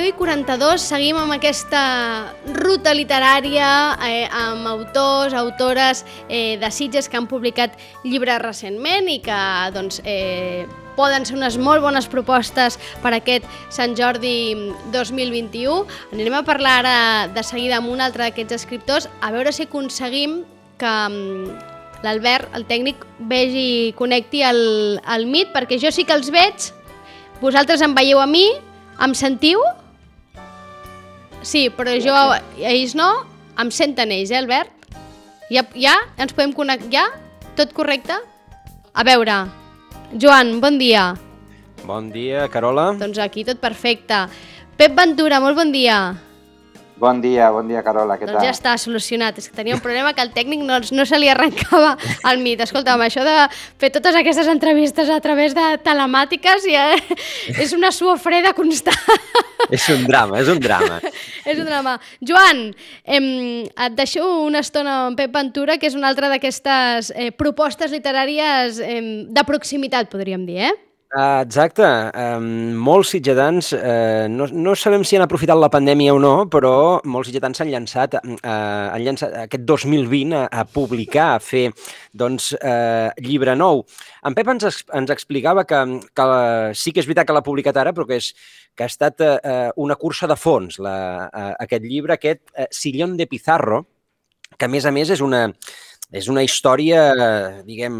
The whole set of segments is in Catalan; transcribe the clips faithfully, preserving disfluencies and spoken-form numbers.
deu i quaranta-dos seguim amb aquesta ruta literària eh, amb autors, autores eh, de Sitges que han publicat llibres recentment i que doncs, eh, poden ser unes molt bones propostes per aquest Sant Jordi dos mil vint-i-u. Anirem a parlar ara de seguida amb un altre d'aquests escriptors, a veure si aconseguim que l'Albert, el tècnic, vegi i connecti el, el Meet, perquè jo sí que els veig, vosaltres em veieu a mi, em sentiu? Sí, però jo, ells no, em senten ells, eh, Albert? Ja, ja? Ens podem connectar? Ja? Tot correcte? A veure, Joan, bon dia. Bon dia, Carola. Doncs aquí tot perfecte. Pep Ventura, molt bon dia. Bon dia, bon dia, Carola, què doncs tal? Ja està solucionat, és que tenia un problema que el tècnic no, no se li arrencava al Meet. Escolta'm, això de fer totes aquestes entrevistes a través de telemàtiques ja és una suor freda constant. És un drama, és un drama. És un drama. Joan, em, et deixo una estona amb Pep Ventura, que és una altra d'aquestes eh, propostes literàries eh, de proximitat, podríem dir, eh? Uh, exacte. Um, molts sitgetans, uh, no, no sabem si han aprofitat la pandèmia o no, però molts sitgetans s'han llançat, uh, han llançat aquest dos mil vint a, a publicar, a fer doncs, uh, llibre nou. En Pep ens, ens explicava que, que sí que és veritat que l'ha publicat ara, però que, és, que ha estat uh, una cursa de fons, la, uh, aquest llibre, aquest uh, Sillón de Pizarro, que a més a més és una... És una història, diguem,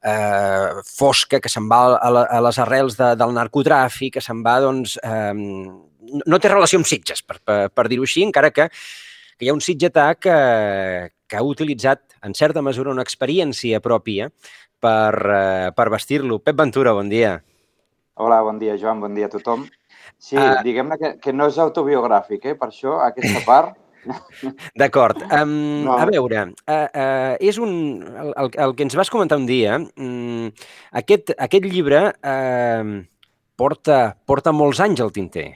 eh, fosca, que se'n va a, la, a les arrels de, del narcotràfic, que se'n va, doncs... Eh, no té relació amb Sitges, per, per, per dir-ho així, encara que, que hi ha un sitgetà que, que ha utilitzat, en certa mesura, una experiència pròpia per, eh, per vestir-lo. Pep Ventura, bon dia. Hola, bon dia, Joan, bon dia a tothom. Sí, uh, diguem-ne que, que no és autobiogràfic, eh? Per això, aquesta part... D'acord. Um, no. A veure, uh, uh, és un, el, el, el que ens vas comentar un dia, um, aquest, aquest llibre uh, porta, porta molts anys al tinter.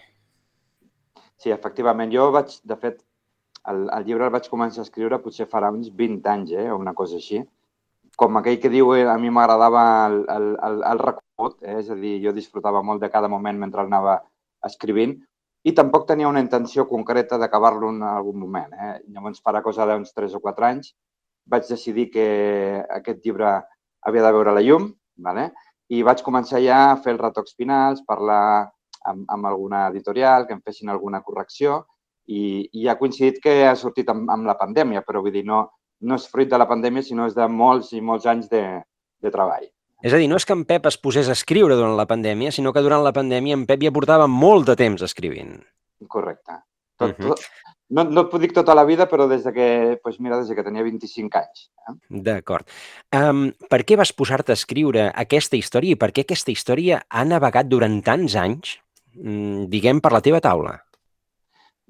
Sí, efectivament. Jo vaig, de fet, el, el llibre el vaig començar a escriure potser farà uns vint anys, eh? O una cosa així. Com aquell que diu, eh, a mi m'agradava el, el, el, el recorregut, eh? És a dir, jo disfrutava molt de cada moment mentre anava escrivint, i tampoc tenia una intenció concreta d'acabar-lo en algun moment. Eh? Llavors, farà cosa d'uns tres o quatre anys, vaig decidir que aquest llibre havia de veure la llum, vale? I vaig començar ja a fer els retocs finals, parlar amb, amb alguna editorial, que em fessin alguna correcció, i, i ha coincidit que ha sortit amb, amb la pandèmia, però vull dir, no, no és fruit de la pandèmia, sinó és de molts i molts anys de, de treball. És a dir, no és que en Pep es posés a escriure durant la pandèmia, sinó que durant la pandèmia en Pep ja portava molt de temps escrivint. Correcte. Tot, uh-huh. tot, no, no et puc dir tota la vida, però des de que, doncs mira, des de que tenia vint-i-cinc anys. Eh? D'acord. Um, per què vas posar-te a escriure aquesta història i per què aquesta història ha navegat durant tants anys, mm, diguem, per la teva taula?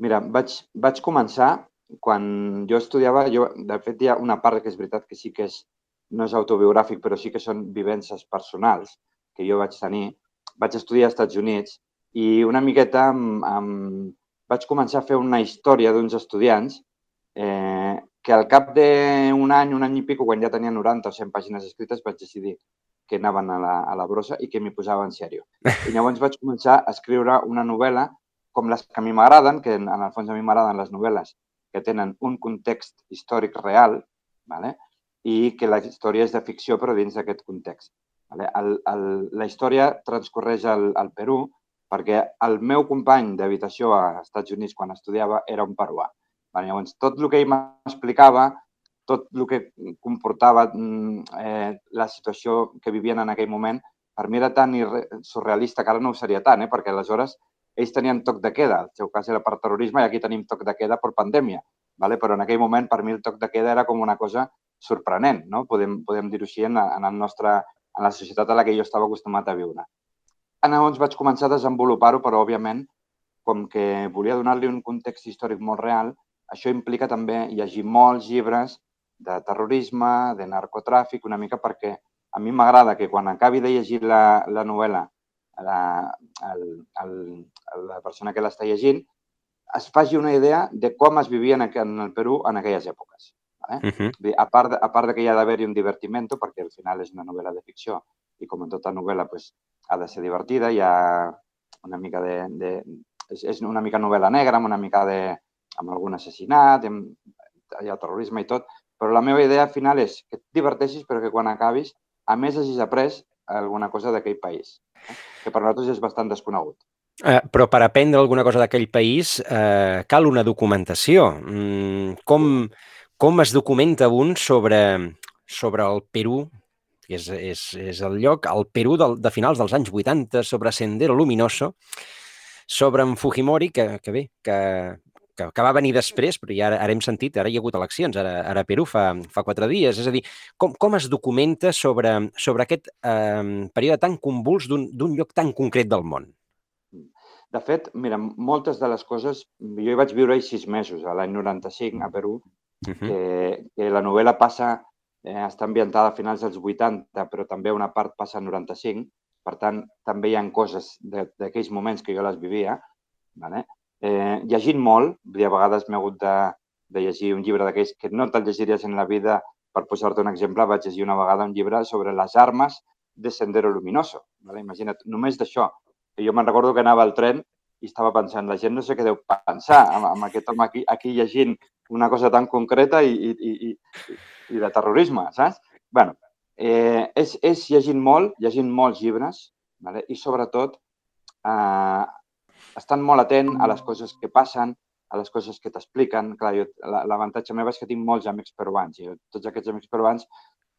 Mira, vaig, vaig començar quan jo estudiava, jo, de fet hi ha una part que és veritat que sí que és no és autobiogràfic, però sí que són vivències personals que jo vaig tenir. Vaig estudiar als Estats Units i una miqueta amb, amb... vaig començar a fer una història d'uns estudiants eh, que al cap d'un any, un any i pico, quan ja tenia noranta o cent pàgines escrites, vaig decidir que anaven a la, a la brossa i que m'hi posava en sèrio. I llavors vaig començar a escriure una novel·la com les que a mi m'agraden, que en, en el fons a mi m'agraden les novel·les que tenen un context històric real, ¿vale? I que la història és de ficció, però dins d'aquest context. El, el, la història transcorreix al, al Perú perquè el meu company d'habitació als Estats Units quan estudiava era un peruà. Llavors, tot el que ell m'explicava, tot el que comportava eh, la situació que vivien en aquell moment, per mi era tan surrealista que ara no ho seria tant, eh? Perquè aleshores ells tenien toc de queda. El seu cas era per terrorisme i aquí tenim toc de queda per pandèmia. ¿Vale? Però en aquell moment, per mi, el toc de queda era com una cosa sorprenent, no? Podem, podem dir-ho així en, en, el nostre, en la societat a la que jo estava acostumat a viure. Llavors vaig començar a desenvolupar-ho, però, òbviament, com que volia donar-li un context històric molt real, això implica també llegir molts llibres de terrorisme, de narcotràfic, una mica perquè a mi m'agrada que quan acabi de llegir la, la novel·la, la, el, el, la persona que l'està llegint, es faci una idea de com es vivia en el Perú en aquelles èpoques. ¿Vale? Uh-huh. A part, de, a part de que hi ha d'haver-hi un divertimento, perquè al final és una novel·la de ficció i com en tota novel·la pues, ha de ser divertida, hi ha, una mica de... de és, és una mica novel·la negra, amb una mica de... amb algun assassinat, amb, hi ha terrorisme i tot, però la meva idea final és que et diverteixis, però que quan acabis, a més hagis après alguna cosa d'aquell país, eh? Que per nosaltres és bastant desconegut. Eh, però per aprendre alguna cosa d'aquell país eh, cal una documentació. Mm, com, com es documenta un sobre, sobre el Perú, que és, és, és el lloc, el Perú del, de finals dels anys vuitanta, sobre Sendero Luminoso, sobre en Fujimori, que, que bé, que, que, que va venir després, però ja ara, ara hem sentit, ara hi ha hagut eleccions, ara, ara a Perú fa, fa quatre dies. És a dir, com, com es documenta sobre, sobre aquest eh, període tan convuls d'un lloc tan concret del món? De fet, mira, moltes de les coses... Jo hi vaig viure sis mesos, a l'any noranta-cinc, a Perú, uh -huh. que, que la novel·la passa, eh, està ambientada a finals dels vuitanta, però també una part passa al noranta-cinc. Per tant, també hi ha coses d'aquells moments que jo les vivia. Vale? Eh, llegint molt, a vegades m'he hagut de, de llegir un llibre d'aquells que no te'l llegiries en la vida. Per posar-te un exemple, vaig llegir una vegada un llibre sobre les armes de Sendero Luminoso. Vale? Imagina't, només d'això. Jo me'n recordo que anava al tren i estava pensant, la gent no sé què deu pensar amb, amb aquest home aquí, aquí llegint una cosa tan concreta i, i, i, i de terrorisme, saps? Bé, eh, és, és llegint molt, llegint molts llibres, vale? I sobretot eh, estant molt atent a les coses que passen, a les coses que t'expliquen. Clar, l'avantatge meu és que tinc molts amics peruans i tots aquests amics peruans,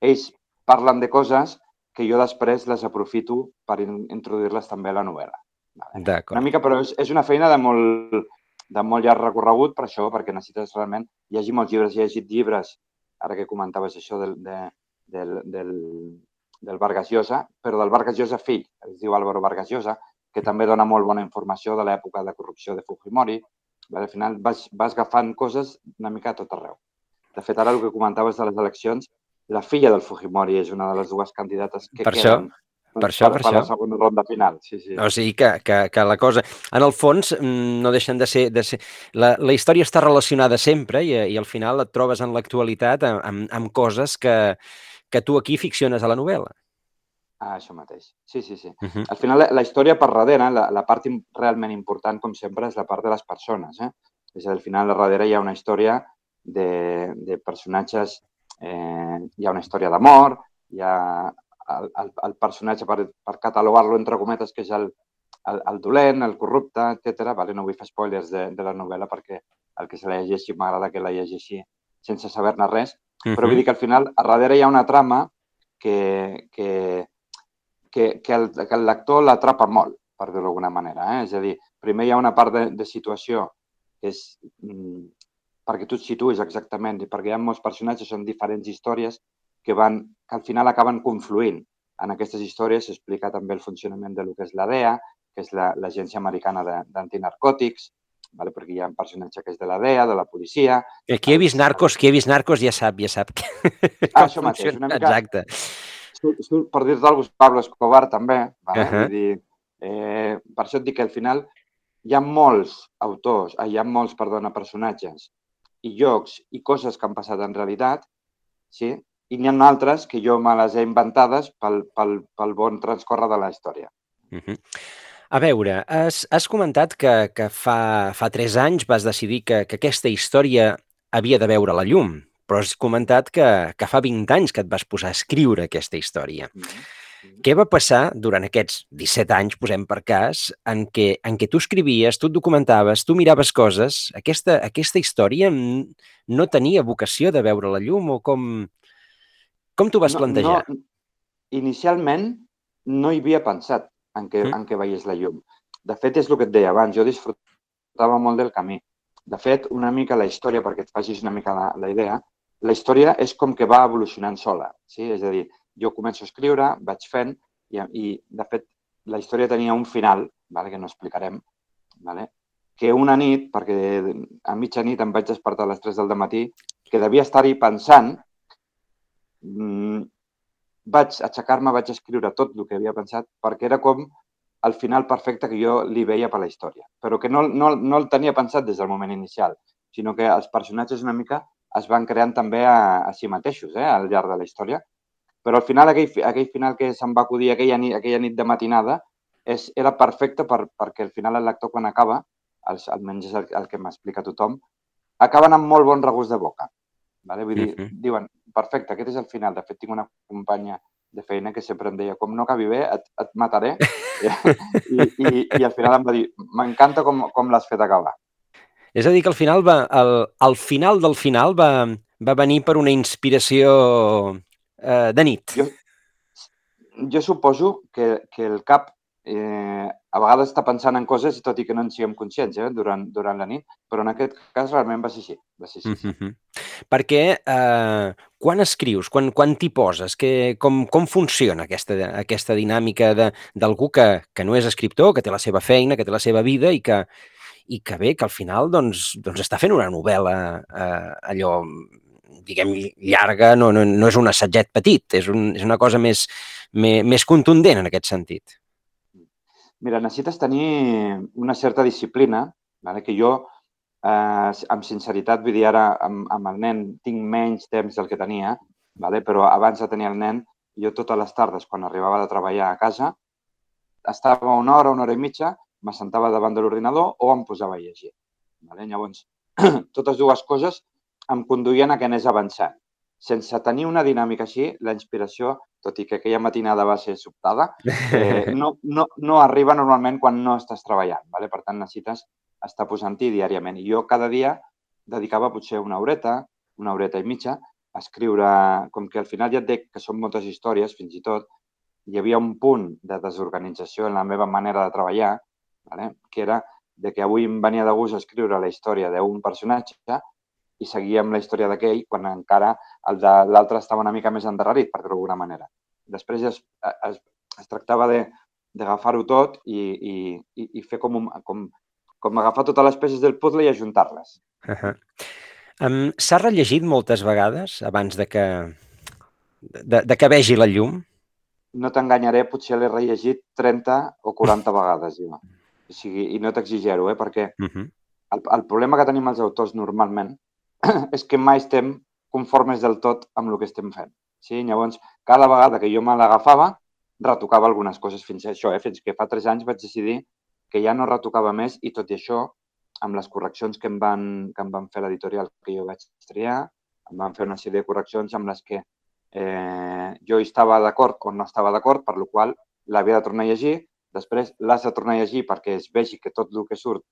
ells parlen de coses que jo després les aprofito per introduir-les també a la novel·la. Vale? Una mica, però és, és una feina de molt, de molt llarg recorregut per això, perquè necessites realment llegir molts llibres. He llegit llibres, ara que comentaves això del, de, del, del, del Vargas Llosa, però del Vargas Llosa fill, es diu Álvaro Vargas Llosa, que també dona molt bona informació de l'època de corrupció de Fujimori. Vale? Al final vas, vas agafant coses una mica a tot arreu. De fet, ara el que comentaves de les eleccions, la filla del Fujimori és una de les dues candidates que per queden això, per, això, per, per la segona ronda final. Sí, sí. O sigui que, que, que la cosa... En el fons, no deixen de ser... De ser la, la història està relacionada sempre i, i al final et trobes en l'actualitat amb, amb, amb coses que, que tu aquí ficciones a la novel·la. Ah, això mateix. Sí, sí, sí. Uh -huh. Al final, la, la història per darrere, la, la part realment important, com sempre, és la part de les persones. Eh? És a dir, al final, a darrere hi ha una història de, de personatges... Eh, hi ha una història d'amor, hi ha el, el, el personatge, per, per catalogar-lo entre cometes, que és el, el, el dolent, el corrupte, etcètera. Vale? No vull fer spoilers de, de la novel·la perquè el que se la llegeixi m'agrada que la llegeixi sense saber-ne res. Uh -huh. Però vull dir que al final, a darrere hi ha una trama que, que, que, que el, que el lector l'atrapa molt, per dir-ho d'alguna manera. Eh? És a dir, primer hi ha una part de, de situació que és... Mm, perquè tu et situïs exactament, i perquè hi ha molts personatges, són diferents històries que, van, que al final acaben confluint. En aquestes històries s'explica també el funcionament de lo que és l'A D E A, que és l'Agència Americana d'Antinarcòtics, vale? Perquè hi ha un personatge que és de l'A D E A, de la policia... Qui ha vist Narcos, qui ha vist Narcos ja sap, ja sap. Ah, això mateix, una mica... Exacte. Per dir-te alguna cosa, Pablo Escobar també, vale? Uh -huh. Vull dir, eh, per això et dic que al final hi ha molts autors, hi ha molts, perdona, personatges i llocs i coses que han passat en realitat, sí? I n'hi ha altres que jo me les he inventades pel, pel, pel bon transcórrer de la història. Uh -huh. A veure, has, has comentat que, que fa, fa tres anys vas decidir que, que aquesta història havia de veure la llum, però has comentat que, que fa vint anys que et vas posar a escriure aquesta història. Uh -huh. Què va passar durant aquests disset anys, posem per cas, en què, en què tu escrivies, tu et documentaves, tu miraves coses, aquesta, aquesta història no tenia vocació de veure la llum o com, com t'ho vas no, plantejar? No, inicialment no hi havia pensat en què, mm. en què veiés la llum. De fet, és el que et deia abans, jo disfrutava molt del camí. De fet, una mica la història, perquè et facis una mica la, la idea, la història és com que va evolucionant sola, sí? És a dir, jo començo a escriure, vaig fent, i, i de fet, la història tenia un final, vale, que no explicarem, vale, que una nit, perquè a mitjanit em vaig despertar a les tres del matí, que devia estar-hi pensant, mmm, vaig aixecar-me, vaig escriure tot el que havia pensat, perquè era com el final perfecte que jo li veia per la història, però que no, no, no el tenia pensat des del moment inicial, sinó que els personatges una mica es van creant també a, a si mateixos, eh, al llarg de la història. Però al final, aquell, aquell final que se'm va acudir aquella nit, aquella nit de matinada, és, era perfecte per, perquè al final el lector quan acaba, els, almenys és el, el que m'explica tothom, acaben amb molt bon regust de boca. Vale? Vull dir, Mhm. diuen, perfecte, aquest és el final. De fet, tinc una companya de feina que sempre em deia, com no acabi bé, et, et mataré. I, i, I al final em va dir, m'encanta com, com l'has fet acabar. És a dir, que al final, va, el, el final del final va, va venir per una inspiració eh, de nit. Jo, jo suposo que, que el cap eh, a vegades està pensant en coses, tot i que no en siguem conscients eh, durant, durant la nit, però en aquest cas realment va ser així. Va ser així, sí. Mm-hmm. Perquè eh, quan escrius, quan, quan t'hi poses, que, com, com funciona aquesta, aquesta dinàmica de- d'algú que, que no és escriptor, que té la seva feina, que té la seva vida i que, i que bé, que al final doncs, doncs està fent una novel·la eh, allò, diguem, llarga, no, no, no és un assagget petit, és, un, és una cosa més, més, més contundent en aquest sentit. Mira, necessites tenir una certa disciplina, vale? Que jo, eh, amb sinceritat, vull dir, ara amb, amb el nen tinc menys temps del que tenia, vale? Però abans de tenir el nen, jo totes les tardes, quan arribava de treballar a casa, estava una hora, una hora i mitja, m'assentava davant de l'ordinador o em posava a llegir. Vale? Llavors, totes dues coses em conduïen a que anés avançant. Sense tenir una dinàmica així, la inspiració, tot i que aquella matinada va ser sobtada, eh, no, no, no arriba normalment quan no estàs treballant. Vale? Per tant, necessites estar posant-hi diàriament. I jo cada dia dedicava potser una horeta, una horeta i mitja, a escriure, com que al final ja et dic que són moltes històries, fins i tot, hi havia un punt de desorganització en la meva manera de treballar, vale? Que era de que avui em venia de gust escriure la història d'un personatge i seguíem la història d'aquell quan encara el de l'altre estava una mica més endarrerit, per dir-ho d'alguna manera. Després es, es, es tractava d'agafar-ho tot i, i, i fer com, un, com, com agafar totes les peces del puzzle i ajuntar-les. Uh -huh. um, S'ha rellegit moltes vegades abans de que, de, de que vegi la llum? No t'enganyaré, potser l'he rellegit trenta o quaranta vegades, jo. O sigui, i no t'exigero, eh? Perquè Uh -huh. el, el problema que tenim els autors normalment és que mai estem conformes del tot amb el que estem fent. Sí? Llavors, cada vegada que jo me l'agafava, retocava algunes coses fins a això. Eh? Fins que fa tres anys vaig decidir que ja no retocava més i tot i això, amb les correccions que em van, que em van fer l'editorial que jo vaig triar, em van fer una sèrie de correccions amb les que eh, jo estava d'acord o no estava d'acord, per la qual l'havia de tornar a llegir. Després l'has de tornar a llegir perquè es vegi que tot el que surt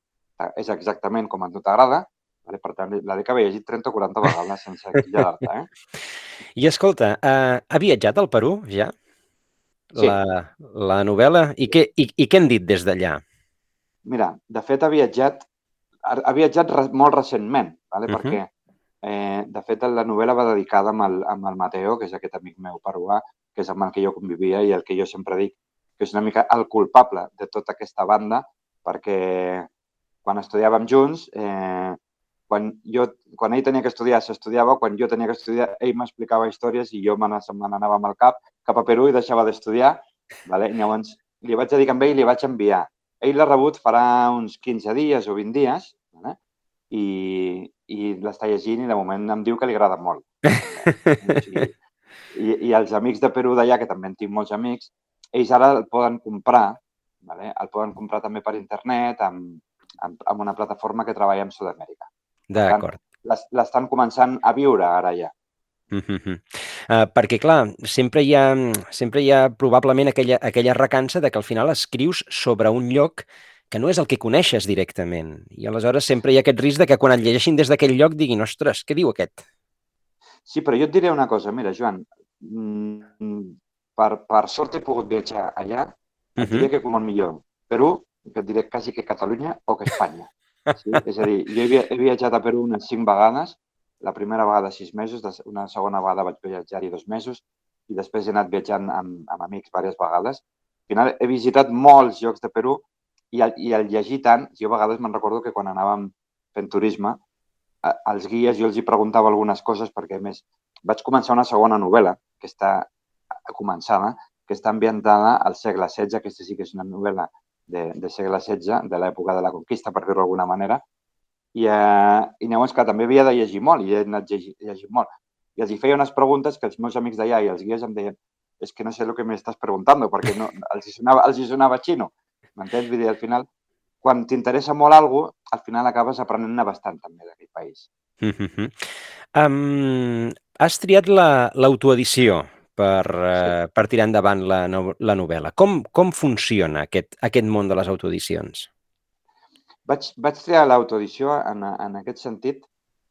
és exactament com a tu t'agrada. Vale? Per tant, la que havia llegit trenta o quaranta vegades sense exagerar-te. Eh? I escolta, uh, ha viatjat al Perú, ja? Sí. La, la novel·la? I què, i, i què han dit des d'allà? Mira, de fet ha viatjat, ha viatjat re, molt recentment, vale? Uh -huh. Perquè, eh, de fet, la novel·la va dedicada amb el, amb el Mateo, que és aquest amic meu peruà, que és amb el que jo convivia i el que jo sempre dic que és una mica el culpable de tota aquesta banda, perquè quan estudiàvem junts, eh, quan, jo, quan ell tenia que estudiar, s'estudiava, quan jo tenia que estudiar, ell m'explicava històries i jo me n'anava amb el cap cap a Perú i deixava d'estudiar. Vale? Llavors, li vaig dedicar amb ell i li vaig enviar. Ell l'ha rebut farà uns quinze dies o vint dies, vale? I, i l'està llegint i de moment em diu que li agrada molt. O sigui, i, I els amics de Perú d'allà, que també en tinc molts amics, ells ara el poden comprar, vale? El poden comprar també per internet, amb, amb, amb una plataforma que treballa amb Sud-amèrica. D'acord. L'estan començant a viure ara ja. Uh -huh. uh, perquè, clar, sempre hi ha, sempre hi ha probablement aquella, aquella recança de que al final escrius sobre un lloc que no és el que coneixes directament. I aleshores sempre hi ha aquest risc de que quan et llegeixin des d'aquell lloc diguin, ostres, què diu aquest? Sí, però jo et diré una cosa. Mira, Joan, per, per sort he pogut viatjar allà. Et diré que com el millor Perú, que et diré quasi que Catalunya o que Espanya. Sí? És a dir, jo he, he viatjat a Perú unes cinc vegades. La primera vegada sis mesos, una segona vegada vaig viatjar-hi dos mesos i després he anat viatjant amb, amb amics diverses vegades. Al final he visitat molts llocs de Perú i al, i al llegir tant, jo a vegades me'n recordo que quan anàvem fent turisme, als guies jo els hi preguntava algunes coses perquè, a més, vaig començar una segona novel·la que està començada, que està ambientada al segle setze. Aquesta sí que és una novel·la de, de segle setze, de l'època de la conquista, per dir-ho d'alguna manera. I, eh, i llavors, que també havia de llegir molt i he anat llegir, llegint molt. I els hi feia unes preguntes que els meus amics d'allà i els guies em deien és que no sé el que m'estàs preguntant perquè no, els, hi sonava, els hi sonava xino. m'entens? Vull dir, al final, quan t'interessa molt alguna cosa, al final acabes aprenent-ne bastant també d'aquell país. Mm-hmm. Um, has triat l'autoedició per, uh, sí. per tirar endavant la, no, la novel·la. Com, com funciona aquest, aquest món de les autoedicions? Vaig, vaig triar l'autoedició en, en aquest sentit.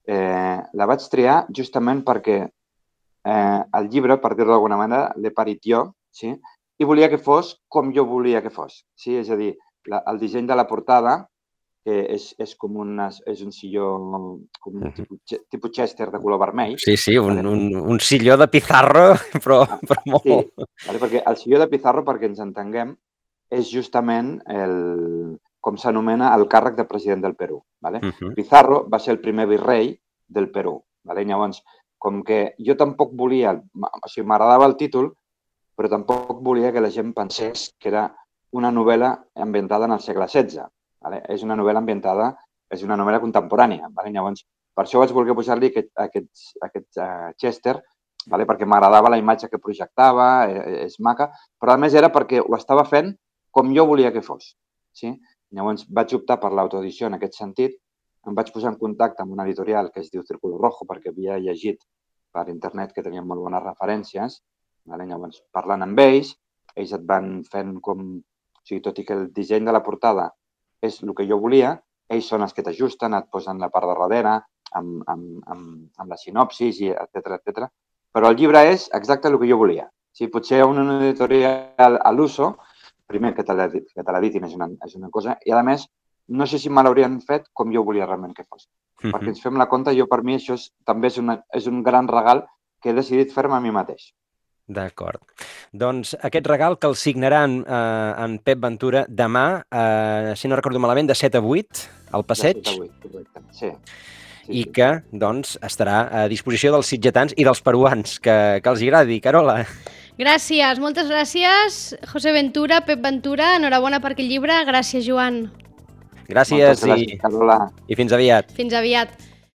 Eh, la vaig triar justament perquè eh, el llibre, per dir-ho d'alguna manera, l'he parit jo, sí? I volia que fos com jo volia que fos. Sí? És a dir, la, el disseny de la portada, que és, és com una, és un silló, com un tipus, tipus Chester de color vermell. Sí, sí, un, vale? un, un silló de Pizarro, però, ah, però molt... Sí, vale? Perquè el silló de Pizarro, perquè ens entenguem, és justament el, com s'anomena el càrrec de president del Perú. Vale? Uh-huh. Pizarro va ser el primer virrei del Perú. Vale? Llavors, com que jo tampoc volia, o sigui, m'agradava el títol, però tampoc volia que la gent pensés que era una novel·la ambientada en el segle setze. Vale? És una novel·la ambientada, és una novel·la contemporània. Vale? Llavors, per això vaig voler posar-li aquest, aquest, aquest uh, Chester, vale? Perquè m'agradava la imatge que projectava, és, és maca, però a més era perquè ho estava fent com jo volia que fos. Sí? Llavors vaig optar per l'autoedició en aquest sentit, em vaig posar en contacte amb una editorial que es diu Círculo Rojo perquè havia llegit per internet que tenien molt bones referències. Vale? Llavors, parlant amb ells, ells et van fent com... O sigui, tot i que el disseny de la portada és el que jo volia, ells són els que t'ajusten, et posen la part de darrere, amb, amb, amb, amb la sinopsis, i etcètera, etcètera. Però el llibre és exacte el que jo volia. O sigui, potser una editorial a l'uso, primer que te l'editin és, una, és una cosa, i a més, no sé si me l'haurien fet com jo volia realment que fos. Mm-hmm. Perquè ens fem la compte, jo per mi això és, també és, una, és un gran regal que he decidit fer-me a mi mateix. D'acord. Doncs aquest regal que el signaran eh, en Pep Ventura demà, eh, si no recordo malament, de set a vuit, al passeig. De set a vuit, correcte. Sí. I que, doncs, estarà a disposició dels sitgetans i dels peruans, que, que els agradi. Carola. Gràcies, moltes gràcies, José Ventura, Pep Ventura, enhorabona per aquest llibre. Gràcies, Joan. Gràcies, gràcies i, Carola. i fins aviat. Fins aviat.